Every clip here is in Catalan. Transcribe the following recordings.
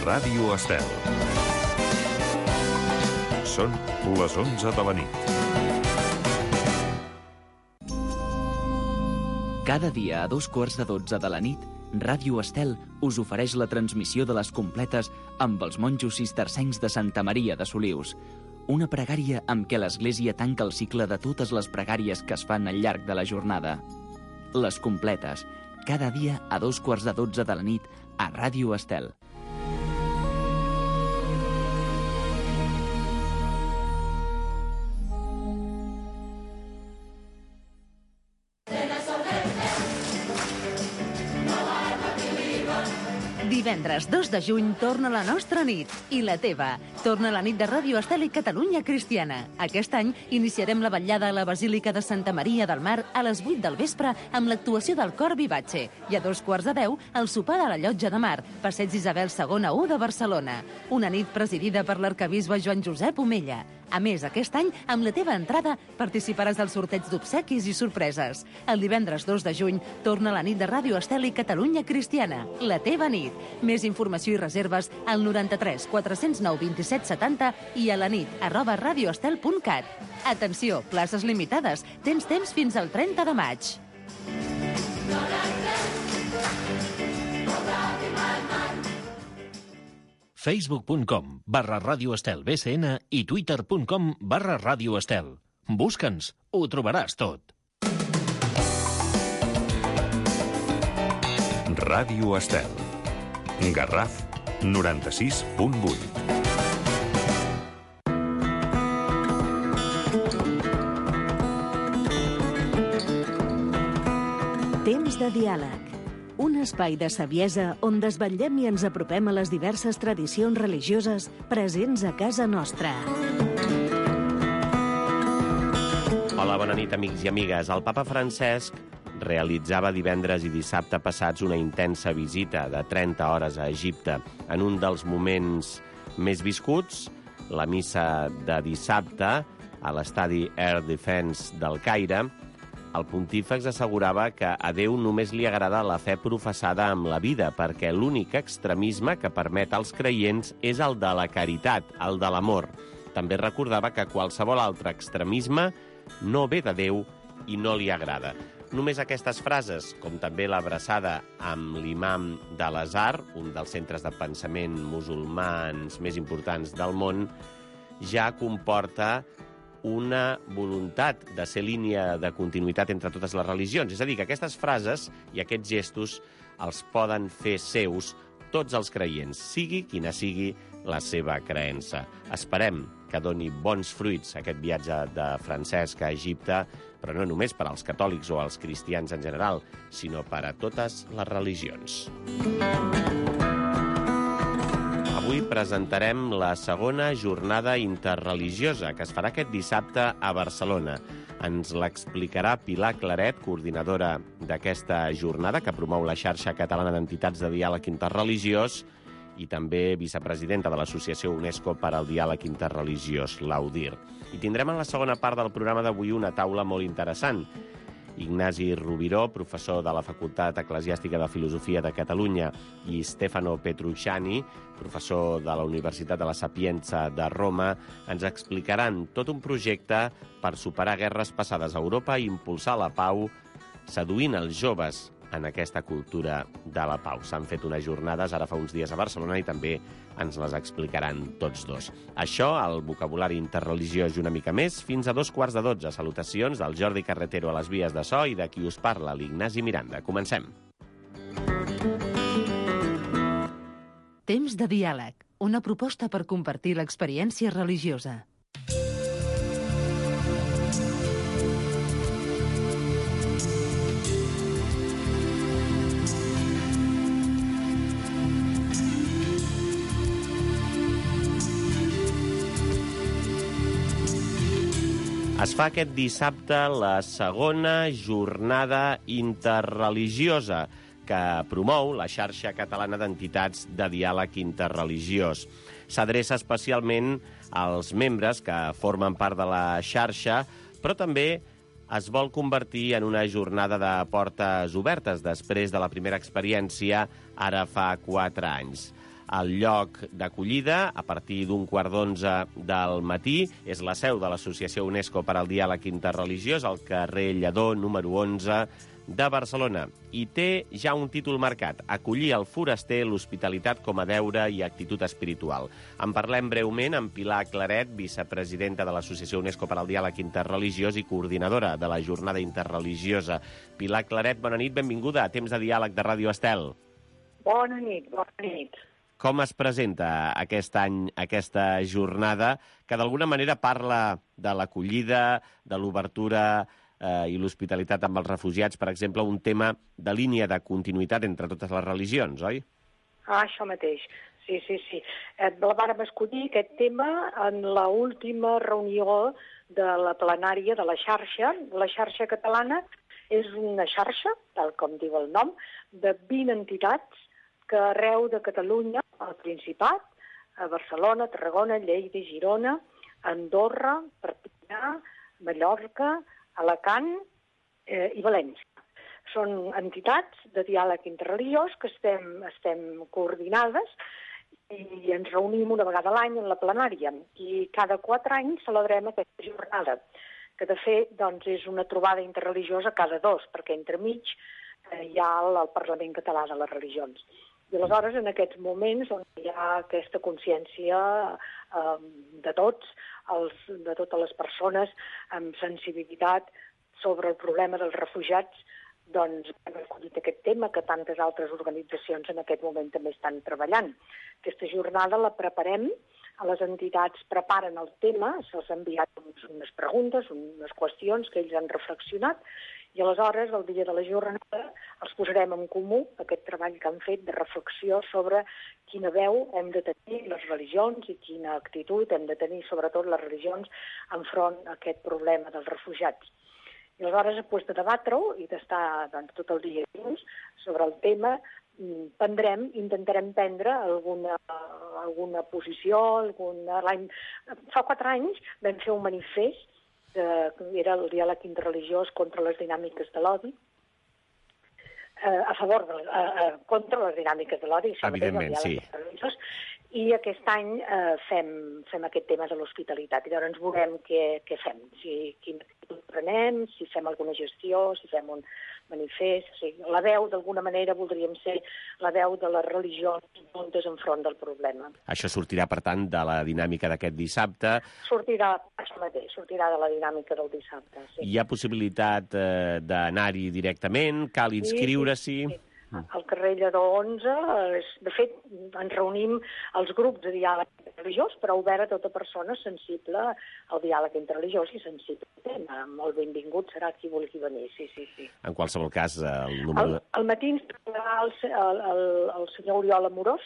Ràdio Estel. Són les 11 de la nit. Cada dia a 12:15 de la nit, Ràdio Estel us ofereix la transmissió de les completes amb els monjos cistercencs de Santa Maria de Solius. Una pregària amb què l'Església tanca el cicle de totes les pregàries que es fan al llarg de la jornada. Les completes, cada dia a 12:15 de la nit a Ràdio Estel. Divendres 2 de juny torna la nostra nit i la teva. Torna la nit de Ràdio Estel i Catalunya Cristiana. Aquest any iniciarem la vetllada a la Basílica de Santa Maria del Mar a les 8 del vespre amb l'actuació del Cor Vivace i a 9:15 el sopar a la Llotja de Mar, Passeig Isabel II 1 de Barcelona. Una nit presidida per l'arquebisbe Joan Josep Omella. A més, aquest any, amb la teva entrada, participaràs del sorteig d'obsequis i sorpreses. El divendres 2 de juny torna la nit de Ràdio Estel i Catalunya Cristiana. La teva nit. Més informació i reserves al 93 409 27 70 i a la nit@radioestel.cat. Atenció, places limitades. Tens temps fins al 30 de maig. Facebook.com/Ràdio Estel BCN i Twitter.com/Ràdio Estel. Busca'ns, ho trobaràs tot. Ràdio Estel. Garraf 96.8. Temps de diàleg. Un espai de saviesa on desvetllem i ens apropem a les diverses tradicions religioses presents a casa nostra. Hola, bona nit, amics i amigues. El papa Francesc realitzava divendres i dissabte passats una intensa visita de 30 hores a Egipte. En un dels moments més viscuts, la missa de dissabte a l'estadi Air Defense del Caire, el pontífex assegurava que a Déu només li agrada la fe professada amb la vida, perquè l'únic extremisme que permet als creients és el de la caritat, el de l'amor. També recordava que qualsevol altre extremisme no ve de Déu i no li agrada. Només aquestes frases, com també l'abraçada amb l'imam de l'Azhar, un dels centres de pensament musulmans més importants del món, ja comporta una voluntat de ser línia de continuïtat entre totes les religions. És a dir, que aquestes frases i aquests gestos els poden fer seus tots els creients, sigui quina sigui la seva creença. Esperem que doni bons fruits aquest viatge de Francesc a Egipte, però no només per als catòlics o als cristians en general, sinó per a totes les religions. Avui presentarem la segona jornada interreligiosa que es farà aquest dissabte a Barcelona. Ens l'explicarà Pilar Claret, coordinadora d'aquesta jornada que promou la xarxa catalana d'entitats de diàleg interreligiós i també vicepresidenta de l'Associació UNESCO per al Diàleg Interreligiós, l'AUDIR. I tindrem en la segona part del programa d'avui una taula molt interessant. Ignasi Rubiró, professor de la Facultat Eclesiàstica de Filosofia de Catalunya, i Stefano Petrucciani, professor de la Universitat de la Sapienza de Roma, ens explicaran tot un projecte per superar guerres passades a Europa i impulsar la pau, seduint els joves en aquesta cultura de la pau. S'han fet unes jornades ara fa uns dies a Barcelona i també ens les explicaran tots dos. Això, el vocabulari interreligiós i una mica més, fins a 11:15. Salutacions del Jordi Carretero a les vies de so i de qui us parla, l'Ignasi Miranda. Comencem. Temps de diàleg. Una proposta per compartir l'experiència religiosa. Es fa aquest dissabte la segona jornada interreligiosa que promou la xarxa catalana d'entitats de diàleg interreligiós. S'adreça especialment als membres que formen part de la xarxa, però també es vol convertir en una jornada de portes obertes després de la primera experiència ara fa 4 anys. el lloc d'acollida a partir d'un 11:15 del matí. És la seu de l'Associació UNESCO per al Diàleg Interreligiós, al carrer Lledó, número 11 de Barcelona. I té ja un títol marcat: acollir el foraster, l'hospitalitat com a deure i actitud espiritual. En parlem breument amb Pilar Claret, vicepresidenta de l'Associació UNESCO per al Diàleg Interreligiós i coordinadora de la Jornada Interreligiosa. Pilar Claret, bona nit, benvinguda a Temps de Diàleg de Ràdio Estel. Bona nit, bona nit. Com es presenta aquest any aquesta jornada que d'alguna manera parla de l'acollida, de l'obertura i l'hospitalitat amb els refugiats, per exemple, un tema de línia de continuïtat entre totes les religions, oi? Això mateix, sí. Vàrem escollir aquest tema en l'última reunió de la plenària de la xarxa. La xarxa catalana és una xarxa, tal com diu el nom, de 20 entitats que arreu de Catalunya, al Principat, a Barcelona, Tarragona, Lleida, Girona, Andorra, Perpinyà, Mallorca, Alacant i València. Són entitats de diàleg interreligiós que estem coordinades i ens reunim una vegada a l'any en la plenària. I cada 4 anys celebrem aquesta jornada, que de fet doncs, és una trobada interreligiosa cada 2, perquè entremig hi ha el Parlament Català de les Religions. I aleshores, en aquests moments, on hi ha aquesta consciència de tots, de totes les persones amb sensibilitat sobre el problema dels refugiats, doncs hem escollit aquest tema que tantes altres organitzacions en aquest moment també estan treballant. Aquesta jornada la preparem, les entitats preparen el tema, se'ls han enviat unes preguntes, unes qüestions que ells han reflexionat, i aleshores, el dia de la jornada, els posarem en comú aquest treball que han fet de reflexió sobre quina veu hem de tenir les religions i quina actitud hem de tenir, sobretot les religions, enfront a aquest problema dels refugiats. I aleshores, després de debatre-ho i d'estar tot el dia junts sobre el tema, intentarem prendre alguna posició. Fa 4 anys vam fer un manifest que era el diàleg interreligiós contra les dinàmiques de l'odi, contra les dinàmiques de l'odi. Evidentment, sí. I aquest any fem aquest tema de l'hospitalitat. I llavors veurem què fem, quina actitud prenem, si fem alguna gestió, si fem un manifest. O sigui, la veu, d'alguna manera, voldríem ser la veu de les religions juntes enfront del problema. Això sortirà, per tant, de la dinàmica d'aquest dissabte. Sortirà de la dinàmica del dissabte, sí. Hi ha possibilitat d'anar-hi directament? Cal inscriure-s'hi? Sí. Al carrer Lledó 11, de fet, ens reunim els grups de diàleg interreligiós, però obert a tota persona sensible al diàleg interreligiós i sensible al tema. Molt benvingut serà qui vulgui venir, sí. En qualsevol cas, el número... Al matí ens trobarà el senyor Oriol Amorós,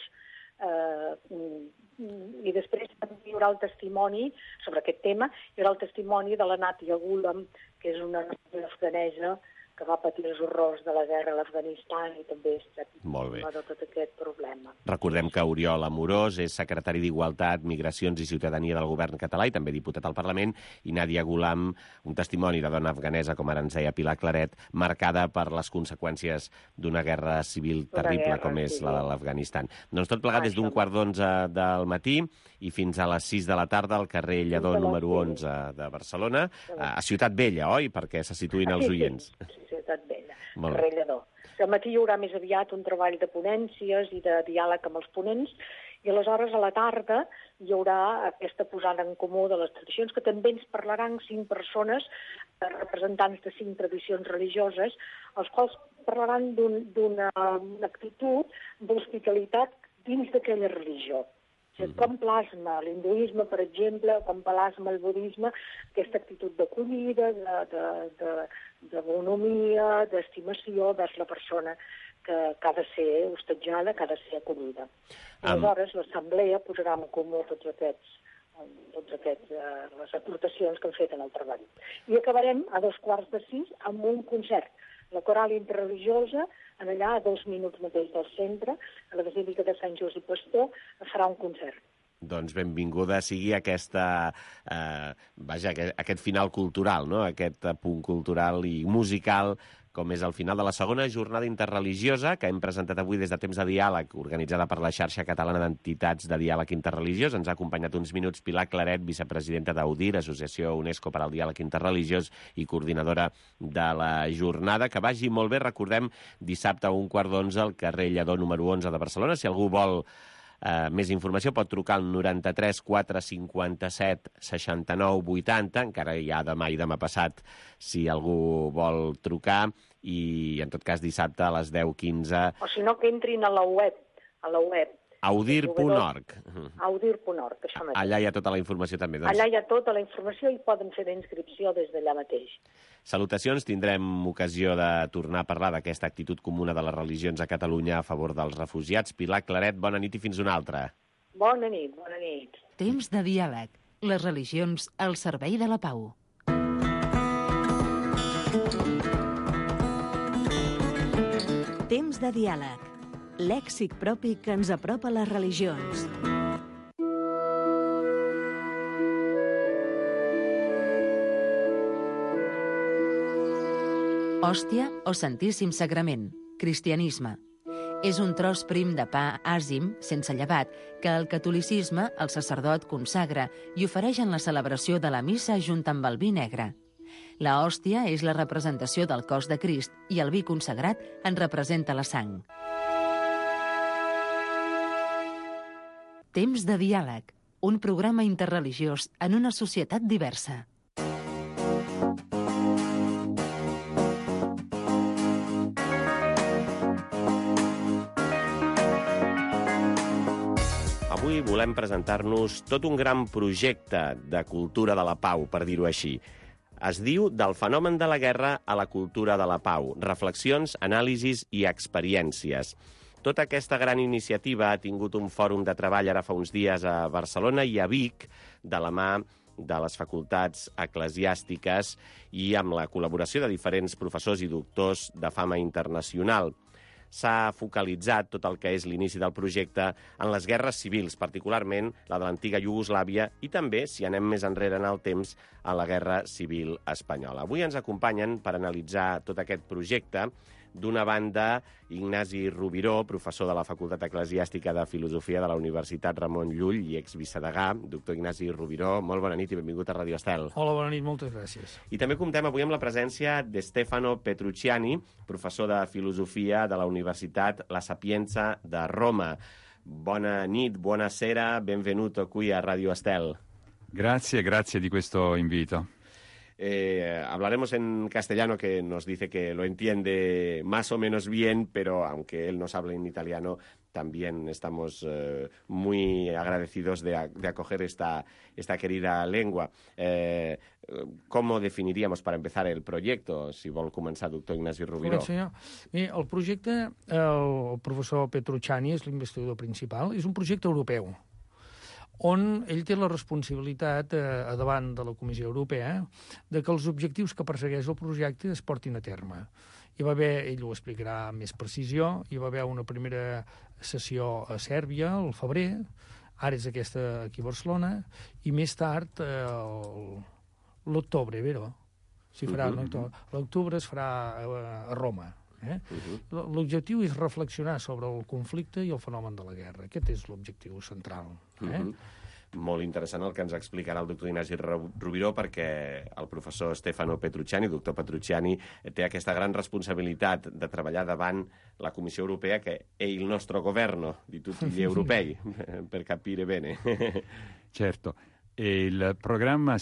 i després hi haurà el testimoni sobre aquest tema, hi haurà el testimoni de la Natia Gulam, que és una noia afganesa que va patir els horrors de la guerra a l'Afganistan i també està víctima de tot aquest problema. Recordem que Oriol Amorós és secretari d'Igualtat, Migracions i Ciutadania del Govern català i també diputat al Parlament, i Nadia Gulam, un testimoni de dona afganesa, com ara ens deia Pilar Claret, marcada per les conseqüències d'una guerra civil terrible com és la de l'Afganistan. Doncs tot plegat des d'un 11:15 del matí i fins a les 6 de la tarda al carrer Lledó número 11 de Barcelona, a Ciutat Vella, oi? Perquè se situïn els oients. Sí, Ciutat Vella, carrer Lledó. Al matí hi haurà més aviat un treball de ponències i de diàleg amb els ponents, i aleshores a la tarda hi haurà aquesta posada en comú de les tradicions, que també ens parlaran 5 persones, representants de 5 tradicions religioses, els quals parlaran d'una actitud d'hospitalitat dins d'aquella religió. Com plasma l'hinduisme, per exemple, com plasma el budisme, aquesta actitud d'acollida, de bonomia, d'estimació vers la persona que ha de ser hostatjada, que ha de ser acollida. Aleshores, l'assemblea posarà en comú totes les aportacions que han fet en el treball. I acabarem a 5:15 amb un concert. La coral interreligiosa, allà a 2 minuts mateix del centre, a la Basílica de Sant Josep Pastor, farà un concert. Doncs benvinguda sigui aquest final cultural, no? Aquest punt cultural i musical com és el final de la segona jornada interreligiosa que hem presentat avui des de Temps de Diàleg, organitzada per la Xarxa Catalana d'Entitats de Diàleg Interreligiós. Ens ha acompanyat uns minuts Pilar Claret, vicepresidenta d'AUDIR, Associació UNESCO per al Diàleg Interreligiós i coordinadora de la jornada. Que vagi molt bé, recordem, dissabte a 11:15 al carrer Lledó número 11 de Barcelona. Si algú vol més informació pot trucar al 93 457 69 80, encara hi ha demà i demà passat si algú vol trucar, i en tot cas dissabte a les 10:15. O si no, que entrin a la web. Audir.org. Audir.org, això mateix. Allà hi ha tota la informació també. Doncs. Allà hi ha tota la informació i poden fer la inscripció des d'allà mateix. Salutacions, tindrem ocasió de tornar a parlar d'aquesta actitud comuna de les religions a Catalunya a favor dels refugiats. Pilar Claret, bona nit i fins una altra. Bona nit, bona nit. Temps de diàleg. Les religions al servei de la pau. Temps de diàleg. Lèxic propi que ens apropa a les religions. Hòstia o Santíssim Sagrament, cristianisme. És un tros prim de pa àzim, sense llevat, que el catolicisme, el sacerdot, consagra i ofereix en la celebració de la missa junt amb el vi negre. La hòstia és la representació del cos de Crist i el vi consagrat en representa la sang. Temps de diàleg, un programa interreligiós en una societat diversa. Avui volem presentar-nos tot un gran projecte de cultura de la pau, per dir-ho així. Es diu Del fenomen de la guerra a la cultura de la pau. Reflexions, anàlisis i experiències. Tota aquesta gran iniciativa ha tingut un fòrum de treball ara fa uns dies a Barcelona i a Vic, de la mà de les facultats eclesiàstiques i amb la col·laboració de diferents professors i doctors de fama internacional. S'ha focalitzat tot el que és l'inici del projecte en les guerres civils, particularment la de l'antiga Iugoslàvia i també, si anem més enrere en el temps, a la Guerra Civil Espanyola. Avui ens acompanyen per analitzar tot aquest projecte, d'una banda, Ignasi Rubiró, professor de la Facultat Eclesiàstica de Filosofia de la Universitat Ramon Llull i exvicedegà. Doctor Ignasi Rubiró, molt bona nit i benvingut a Radio Estel. Hola, bona nit, moltes gràcies. I també comptem avui amb la presència de Stefano Petrucciani, professor de Filosofia de la Universitat La Sapienza de Roma. Bona nit, buonasera, benvenuto qui a Radio Estel. Grazie di questo invito. Hablaremos en castellano, que nos dice que lo entiende más o menos bien, pero aunque él nos hable en italiano, también estamos muy agradecidos de acoger esta querida lengua. ¿Cómo definiríamos, para empezar, el proyecto? Si vol començar, doctor Ignasi Rubiró. El projecte, el professor Petrucciani és l'investigador principal, és un projecte europeu, on ell té la responsabilitat davant de la Comissió Europea de que els objectius que persegueix el projecte es portin a terme. Hi va haver, ell ho explicarà amb més precisió, hi va haver una primera sessió a Sèrbia, al febrer, ara és aquesta aquí a Barcelona, i més tard, l'octubre, vero? L'octubre es farà a Roma. L'objectiu és reflexionar sobre el conflicte i el fenomen de la guerra. Aquest és l'objectiu central. Molt interessant el que ens explicarà el doctor Ignasi Rubiró, perquè el professor Stefano Petrucciani, doctor Petrucciani, té aquesta gran responsabilitat de treballar davant la Comissió Europea, che è il nostro governo di tutti gli europei, per capire bene. Certo, il programma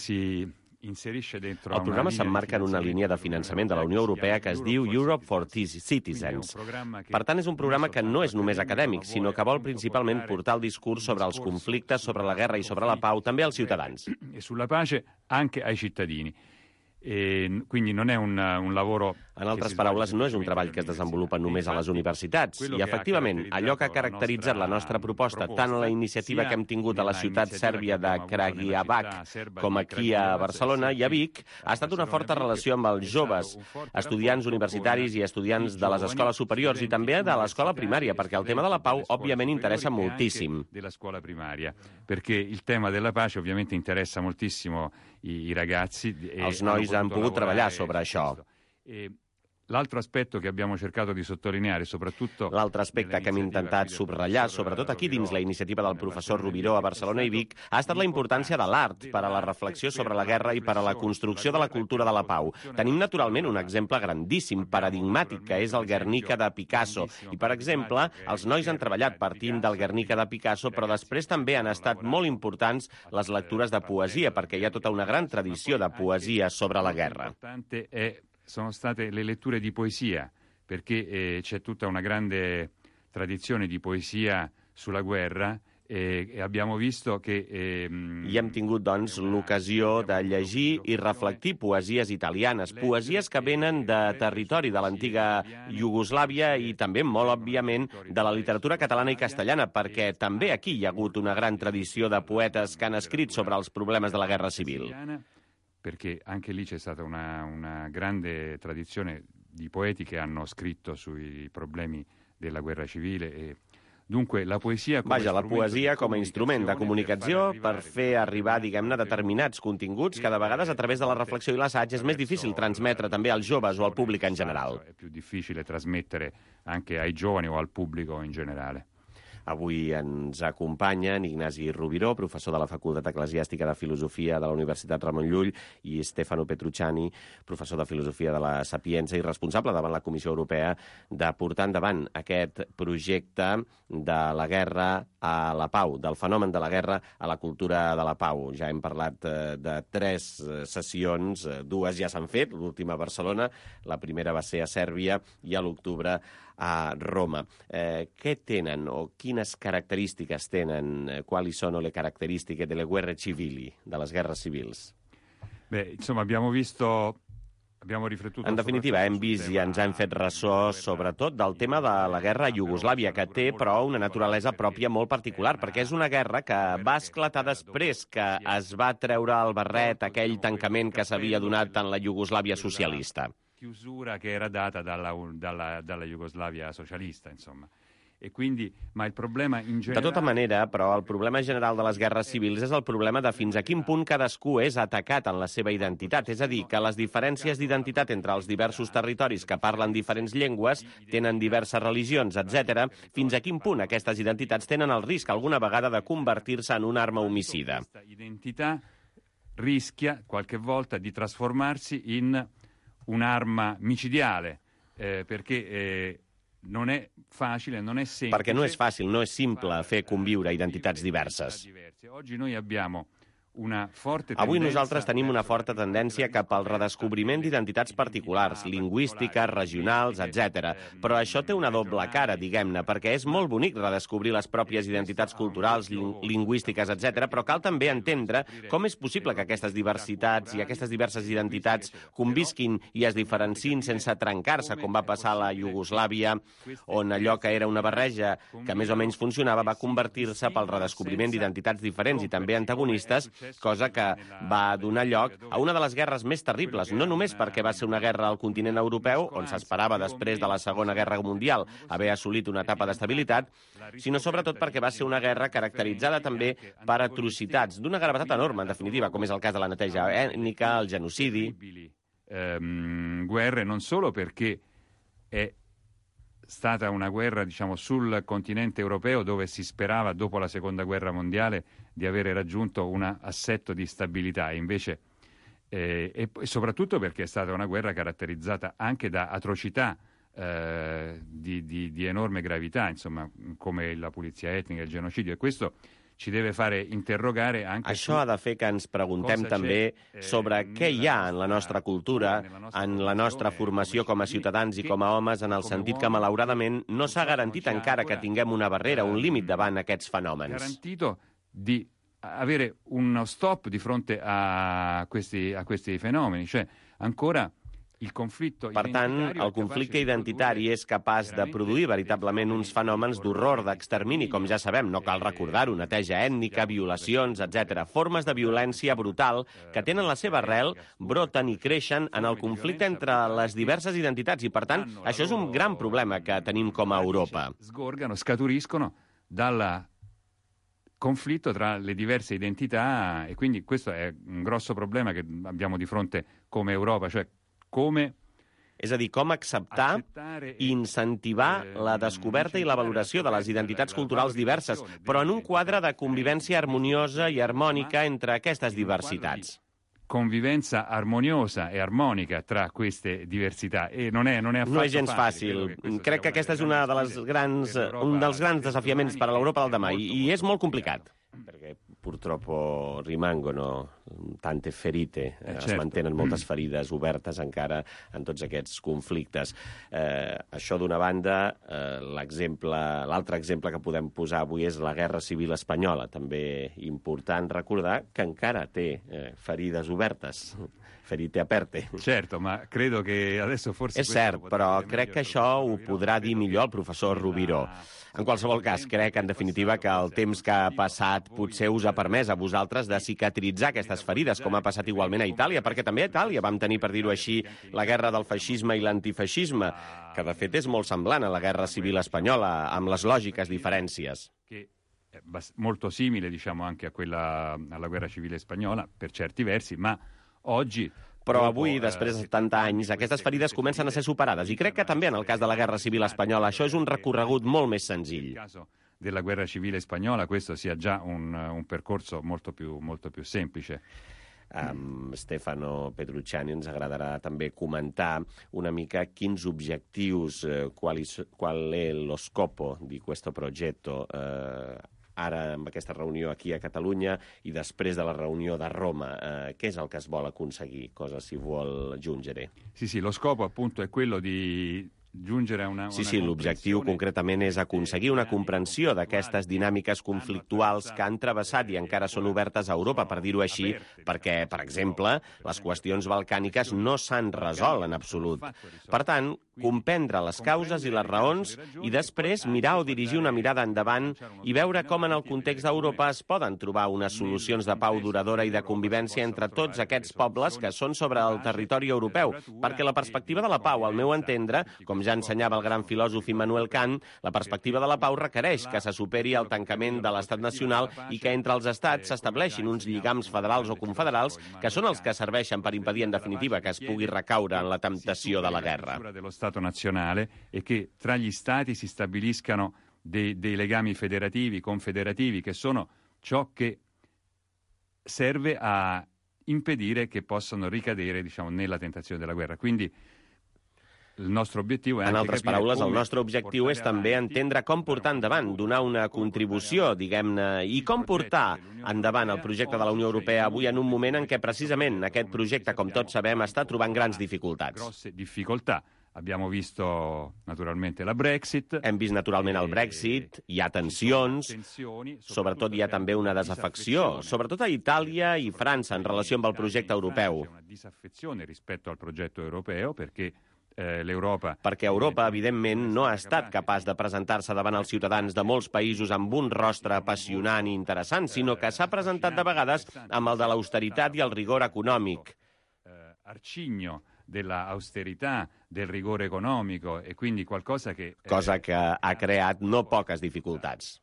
el programa s'emmarca en una línia de finançament de la Unió Europea que es diu Europe for Citizens. Per tant, és un programa que no és només acadèmic, sinó que vol principalment portar el discurs sobre els conflictes, sobre la guerra i sobre la pau també als ciutadans. E sulla pace anche ai cittadini. Quindi non è un lavoro... En altres paraules, no és un treball que es desenvolupa només a les universitats. I, efectivament, allò que ha caracteritzat la nostra proposta, tant a la iniciativa que hem tingut a la ciutat sèrbia de Kragujevac com aquí a Barcelona i a Vic, ha estat una forta relació amb els joves, estudiants universitaris i estudiants de les escoles superiors i també de l'escola primària, perquè el tema de la pau, òbviament, interessa moltíssim. Della scuola primaria, perché il tema della pace ovviamente interessa moltissimo i ragazzi. Els nois han pogut treballar sobre això. l'altro aspetto che abbiamo cercato di sottolineare, soprattutto... L'altre aspecte que hem intentat subratllar, sobretot aquí dins la iniciativa del professor Rubiró a Barcelona i Vic, ha estat la importància de l'art per a la reflexió sobre la guerra i per a la construcció de la cultura de la pau. Tenim, naturalment, un exemple grandíssim, paradigmàtic, que és el Guernica de Picasso. I, per exemple, els nois han treballat partint del Guernica de Picasso, però després també han estat molt importants les lectures de poesia, perquè hi ha tota una gran tradició de poesia sobre la guerra. Sono state le letture di poesia, perché c'è tutta una grande tradizione di poesia sulla guerra e abbiamo visto che... I hem tingut, doncs, l'ocasió de llegir i reflectir poesies italianes, poesies que venen de territori de l'antiga Iugoslàvia i també, molt òbviament, de la literatura catalana i castellana, perquè també aquí hi ha hagut una gran tradició de poetes que han escrit sobre els problemes de la guerra civil. Perché anche lì c'è stata una grande tradizione di poeti che hanno scritto sui problemi della guerra civile e dunque la poesia com a instrument de comunicació per fer arribar, diguem-ne, determinats continguts que de vegades a través de la reflexió i l'assaig és més difícil transmetre també als joves o al públic en general. È più difficile trasmettere anche ai giovani o al pubblico in generale. Avui ens acompanyen Ignasi Rubiró, professor de la Facultat Eclesiàstica de Filosofia de la Universitat Ramon Llull, i Stefano Petrucciani, professor de Filosofia de la Sapienza i responsable davant la Comissió Europea de portar endavant aquest projecte de la guerra a la pau, del fenomen de la guerra a la cultura de la pau. Ja hem parlat de 3 sessions, 2 ja s'han fet, l'última a Barcelona, la primera va ser a Sèrbia i a l'octubre a Roma. Què tenen o quines característiques tenen? Quali sono le caratteristiche delle guerre civili, de les guerres civils? Beh, insomma, abbiamo riflettuto... En definitiva, hem vist i ens hem fet ressò sobretot del tema de la guerra a Iugoslàvia, que té, però, una naturalesa pròpia molt particular, perquè és una guerra que va esclatar després que es va treure el barret aquell tancament que s'havia donat en la Iugoslàvia socialista. Chiusura che era data dalla Jugoslavia socialista, insomma. E quindi, ma il problema in generale... De tota manera, però, el problema general de les guerres civils és el problema de fins a quin punt cadascú és atacat en la seva identitat. És a dir, que les diferències d'identitat entre els diversos territoris que parlen diferents llengües, tenen diverses religions, etc., fins a quin punt aquestes identitats tenen el risc alguna vegada de convertir-se en una arma homicida. Questa identità rischia qualche volta di trasformarsi in un'arma micidiale, perché non è facile, non è semplice... Perquè no és fàcil, no és simple fer conviure identitats diverses. Oggi noi abbiamo Avui nosaltres tenim una forta tendència cap al redescobriment d'identitats particulars, lingüístiques, regionals, etc. Però això té una doble cara, diguem-ne, perquè és molt bonic redescobrir les pròpies identitats culturals, lingüístiques, etc. Però cal també entendre com és possible que aquestes diversitats i aquestes diverses identitats convisquin i es diferenciïn sense trencar-se, com va passar a la Iugoslàvia, on allò que era una barreja que més o menys funcionava va convertir-se pel redescobriment d'identitats diferents i també antagonistes, cosa que va donar lloc a una de les guerres més terribles, no només perquè va ser una guerra al continent europeu, on s'esperava després de la Segona Guerra Mundial haver assolit una etapa d'estabilitat, sinó sobretot perquè va ser una guerra caracteritzada també per atrocitats d'una gravetat enorme, en definitiva, com és el cas de la neteja ètnica, el genocidi. Guerre non solo perché è stata una guerra, diciamo, sul continente europeo dove si sperava dopo la Seconda Guerra Mondiale di avere raggiunto un assetto di stabilità, invece e soprattutto perché è stata una guerra caratterizzata anche da atrocità di enorme gravità, insomma, come la pulizia etnica, il genocidio, e questo ci deve fare interrogare anche... Això ha de fer que ens preguntem també sobre què hi ha en la nostra cultura, en la nostra formació com a ciutadans i com a homes, en el sentit que, malauradament, no s'ha garantit encara que tinguem una barrera, un límit davant aquests fenòmens. Garantito di avere uno stop di fronte a questi fenomeni, cioè ancora... Per tant, el conflicte identitari és capaç de produir veritablement uns fenòmens d'horror, d'extermini, com ja sabem, no cal recordar-ho, neteja ètnica, violacions, etc. Formes de violència brutal que tenen la seva arrel, broten i creixen en el conflicte entre les diverses identitats i, per tant, això és un gran problema que tenim com a Europa. Scaturiscono dal conflitto tra le diverse identità e quindi questo è un grosso problema che abbiamo di fronte come Europa, cioè come És a dir, com acceptar i incentivar la descoberta i la valoració de les identitats culturals diverses, però en un quadre de convivència harmoniosa i harmònica entre aquestes diversitats. Convivenza armoniosa e armonica tra queste diversità e non è affatto No és gens fàcil. Crec que aquest és un dels grans desafiaments per a l'Europa del demà i és molt complicat. Perquè purtroppo rimangono tante ferite, es mantenen moltes ferides obertes encara en tots aquests conflictes. Això d'una banda, l'altre exemple que podem posar avui és la Guerra Civil Espanyola, també important recordar que encara té ferides obertes, ferite aperte. Certo, ma credo che adesso forse... És cert, però crec que això ho podrà dir millor el professor Rubiró. En qualsevol cas, crec, en definitiva, que el temps que ha passat potser us ha permès a vosaltres de cicatritzar aquestes ferides, com ha passat igualment a Itàlia, perquè també a Itàlia vam tenir, per dir-ho així, la guerra del feixisme i l'antifeixisme, que de fet és molt semblant a la Guerra Civil Espanyola, amb les lògiques diferències. Molto simile, diciamo, anche alla Guerra Civile Spagnola, per certi versi, ma oggi... Però avui, després de 70 anys, aquestes ferides comencen a ser superades. I crec que també en el cas de la Guerra Civil Espanyola això és un recorregut molt més senzill. Nel caso della Guerra Civile Spagnola questo sia già un percorso molto più semplice. Stefano Petrucciani, ens agradarà també comentar una mica quins objectius, qual è lo scopo di questo progetto ara amb aquesta reunió aquí a Catalunya i després de la reunió de Roma. Què és el que es vol aconseguir? Cosa si vuol giungere? Sì, lo scopo appunto è quello di giungere a una Sí, l'objectiu concretament és aconseguir una comprensió d'aquestes dinàmiques conflictuals que han travessat i encara són obertes a Europa, per dir-ho així, perquè, per exemple, les qüestions balcàniques no s'han resolt en absolut. Per tant, comprendre les causes i les raons i després mirar o dirigir una mirada endavant i veure com en el context d'Europa es poden trobar unes solucions de pau duradora i de convivència entre tots aquests pobles que són sobre el territori europeu, perquè la perspectiva de la pau, al meu entendre, com ja ensenyava el gran filòsof Immanuel Kant, la perspectiva de la pau requereix que se superi el tancament de l'estat nacional i que entre els estats s'estableixin uns lligams federals o confederals que són els que serveixen per impedir, en definitiva, que es pugui recaure en la temptació de la guerra. Dello Stato nazionale e che tra gli stati si stabiliscano dei legami federativi, confederativi, che sono ciò che serve a impedire che possano ricadere, diciamo, nella tentazione della guerra. Quindi en altres paraules, el nostre objectiu és també entendre com portar endavant, donar una contribució, diguem-ne, i com portar endavant el projecte de la Unió Europea avui en un moment en què precisament aquest projecte, com tots sabem, està trobant grans dificultats. Abbiamo visto naturalmente la Brexit. Hem vist naturalment el Brexit, hi ha tensions, sobretot hi ha també una desafecció, sobretot a Itàlia i França en relació amb el projecte europeu. Una disaffezione rispetto al progetto europeo perquè Europa, evidentment, no ha estat capaç de presentar-se davant els ciutadans de molts països amb un rostre apassionant i interessant, sinó que s'ha presentat de vegades amb el de l'austeritat i el rigor econòmic. Arcigno della austerità, del rigore economico e quindi qualcosa che cosa que ha creat no poques dificultats.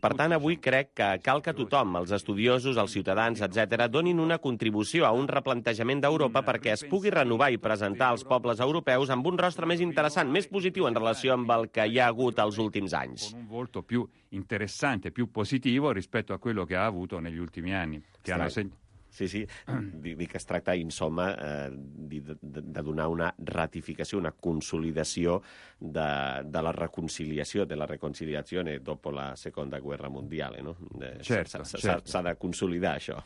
Per tant, avui crec que cal que tothom, els estudiosos, els ciutadans, etc., donin una contribució a un replantejament d'Europa perquè es pugui renovar i presentar als pobles europeus amb un rostre més interessant, més positiu en relació amb el que hi ha hagut els últims anys. Con un volto più interessante, più positivo rispetto a quello che ha avuto negli ultimi anni, che hanno Sí, dic que es tracta, insomma, de donar una ratificació, una consolidació de la reconciliació, de la reconciliazione dopo la Seconda Guerra Mondiale, no? S'ha de consolidar això.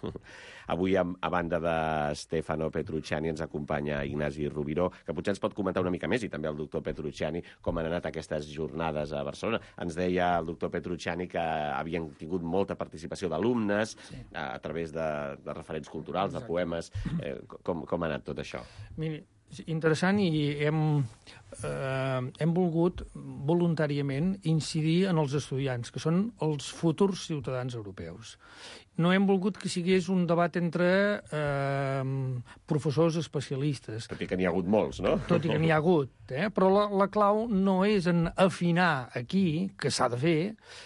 Avui, a banda de Stefano Petrucciani, ens acompanya Ignasi Rubiró, que potser ens pot comentar una mica més, i també el doctor Petrucciani, com han anat aquestes jornades a Barcelona. Ens deia el doctor Petrucciani que havien tingut molta participació d'alumnes a través de referents culturals, de poemes. Com ha anat tot això? Miri, interessant, i hem hem volgut voluntàriament incidir en els estudiants, que són els futurs ciutadans europeus. No hem volgut que sigués un debat entre professors especialistes. Tot i que n'hi ha hagut molts, no? Tot i que n'hi ha hagut, però la clau no és en afinar aquí, que s'ha de fer,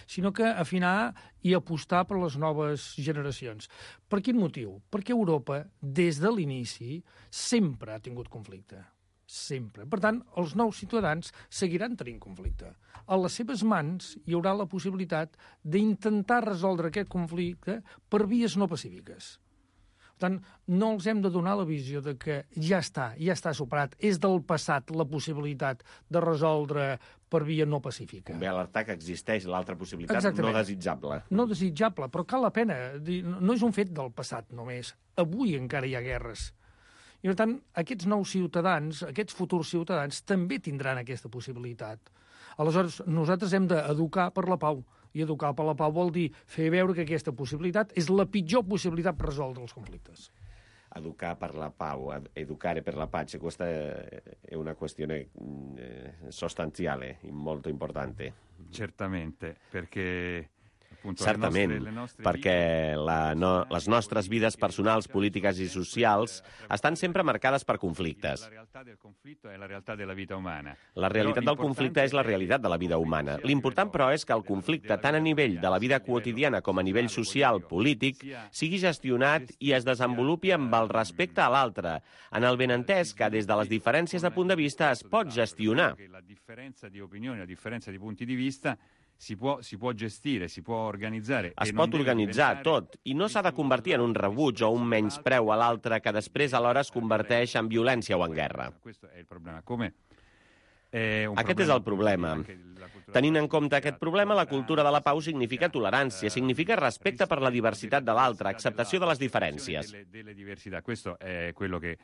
sinó que afinar i apostar per les noves generacions. Per quin motiu? Perquè Europa, des de l'inici, sempre ha tingut conflicte. Sempre. Per tant, els nous ciutadans seguiran tenint conflicte. A les seves mans hi haurà la possibilitat d'intentar resoldre aquest conflicte per vies no pacífiques. Per tant, no els hem de donar la visió de que ja està superat, és del passat la possibilitat de resoldre per via no pacífica. Convé alertar que existeix l'altra possibilitat no desitjable. No desitjable, però cal la pena. No és un fet del passat només. Avui encara hi ha guerres. I, per tant, aquests nous ciutadans, aquests futurs ciutadans, també tindran aquesta possibilitat. Aleshores, nosaltres hem d'educar per la pau. I educar per la pau vol dir fer veure que aquesta possibilitat és la pitjor possibilitat per resoldre els conflictes. Educar per la pau, educare per la pace, questa è una questione sostanziale, molto importante. Certamente, perché... Certament, perquè les nostres vides personals, polítiques i socials estan sempre marcades per conflictes. La realitat del conflicte és la realitat de la vida humana. L'important, però, és que el conflicte, tant a nivell de la vida quotidiana com a nivell social, polític, sigui gestionat i es desenvolupi amb el respecte a l'altre, en el benentès que des de les diferències de punt de vista es pot gestionar. La differenza di opinioni, la differenza di punti di vista si può gestire, si può organizzare. Es pot organitzar tot, i no s'ha de convertir en un rebuig o un menyspreu a l'altre que després alhora es converteix en violència o en guerra. Aquest és el problema. Tenint en compte aquest problema, la cultura de la pau significa tolerància, significa respecte per la diversitat de l'altre, acceptació de les diferències. Questo è quello che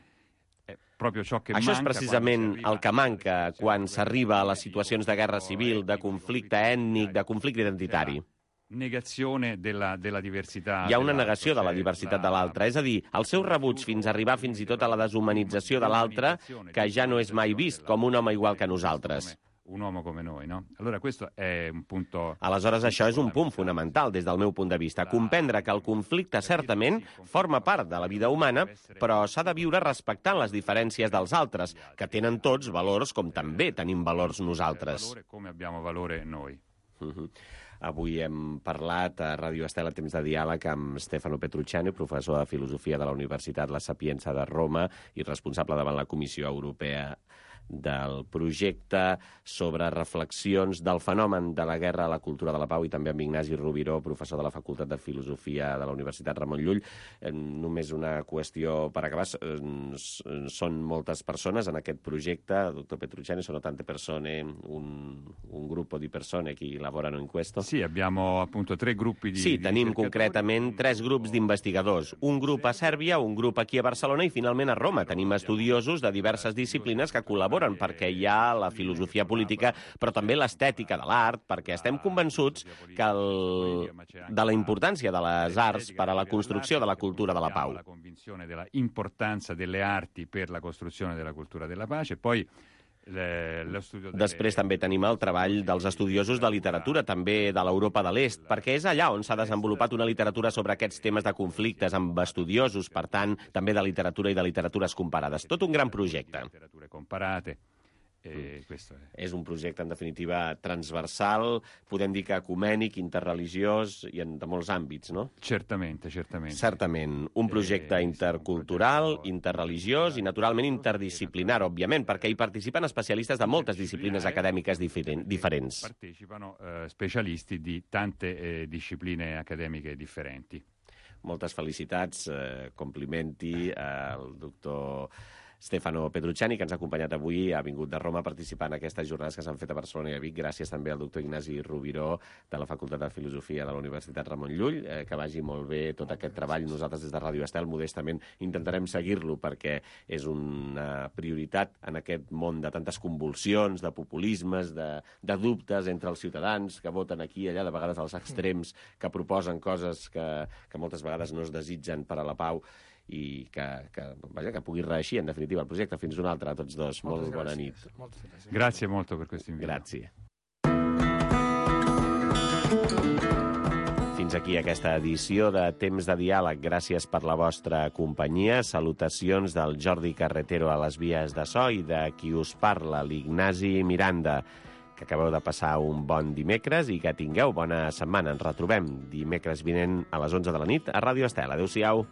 Això és precisament el que manca quan s'arriba a les situacions de guerra civil, de conflicte ètnic, de conflicte identitari. Hi ha una negació de la diversitat de l'altre, és a dir, el seu rebuig fins a arribar fins i tot a la deshumanització de l'altre, que ja no és mai vist com un home igual que nosaltres. Un uomo come noi, no? Allora questo è un punto... Aleshores, això és un punt fonamental des del meu punt de vista. Comprendre que el conflicte certament forma part de la vida humana, però s'ha de viure respectant les diferències dels altres, que tenen tots valors com també tenim valors nosaltres. Come abbiamo valore noi. Avui hem parlat a Ràdio Estel a Temps de Diàleg amb Stefano Petrucciani, professor de Filosofia de la Universitat La Sapienza de Roma i responsable davant la Comissió Europea del projecte sobre reflexions del fenomen de la guerra a la cultura de la pau, i també amb Ignasi Rubiró, professor de la Facultat de Filosofia de la Universitat Ramon Llull. Només una qüestió per acabar. Són moltes persones en aquest projecte, doctor Petrucciani, sono tante persone, un gruppo di persone che lavorano in questo? Sì, abbiamo appunto 3 gruppi di... Sí, tenim concretament 3 grups d'investigadors. Un grup a Sèrbia, un grup aquí a Barcelona i finalment a Roma. Tenim estudiosos de diverses disciplines que col·laboren perquè hi ha la filosofia política, però també l'estètica de l'art, perquè estem convençuts que de la importància de les arts per a la construcció de la cultura de la pau. La convinzione della importanza delle arti per la costruzione della cultura della pace, poi Després també tenim el treball dels estudiosos de literatura, també de l'Europa de l'Est, perquè és allà on s'ha desenvolupat una literatura sobre aquests temes de conflictes amb estudiosos, per tant, també de literatura i de literatures comparades. Tot un gran projecte. És un projecte, en definitiva, transversal, podem dir que ecumènic, interreligiós i de molts àmbits, no? Certament. Certament. Un projecte intercultural, interreligiós i, naturalment, interdisciplinar, òbviament, perquè hi participen especialistes de moltes disciplines acadèmiques diferents. Partecipano specialisti di tante discipline academiche differenti. Moltes felicitats, complimenti al doctor Stefano Petrucciani, que ens ha acompanyat avui, ha vingut de Roma a participar en aquestes jornades que s'han fet a Barcelona i a Vic. Gràcies també al doctor Ignasi Rubiró, de la Facultat de Filosofia de la Universitat Ramon Llull. Que vagi molt bé tot aquest treball. Nosaltres des de Ràdio Estel modestament intentarem seguir-lo perquè és una prioritat en aquest món de tantes convulsions, de populismes, de dubtes entre els ciutadans que voten aquí i allà, de vegades als extrems, que proposen coses que moltes vegades no es desitgen per a la pau. i que pugui reeixir, en definitiva, el projecte. Fins una altra a tots dos. Molt bona nit. Moltes gràcies. Grazie molto per questo invito. Grazie. Fins aquí aquesta edició de Temps de Diàleg. Gràcies per la vostra companyia. Salutacions del Jordi Carretero a les vies de so i de qui us parla, l'Ignasi Miranda. Que acabeu de passar un bon dimecres i que tingueu bona setmana. Ens retrobem dimecres vinent a les 11 de la nit a Ràdio Estel. Adéu-siau.